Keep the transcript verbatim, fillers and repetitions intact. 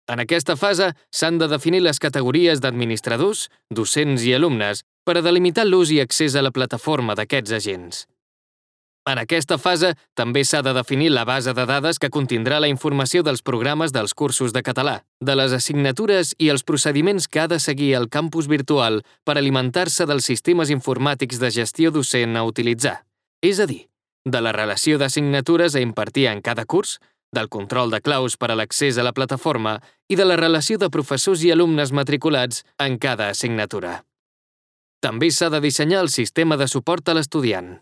En aquesta fase s'han de definir les categories d'administradors, docents i alumnes per a delimitar l'ús i accés a la plataforma d'aquests agents. En aquesta fase també s'ha de definir la base de dades que contindrà la informació dels programes dels cursos de català, de les assignatures i els procediments que ha de seguir el campus virtual per alimentar-se dels sistemes informàtics de gestió docent a utilitzar, és a dir, de la relació d'assignatures a impartir en cada curs, del control de claus per a l'accés a la plataforma i de la relació de professors i alumnes matriculats en cada assignatura. També s'ha de dissenyar el sistema de suport a l'estudiant.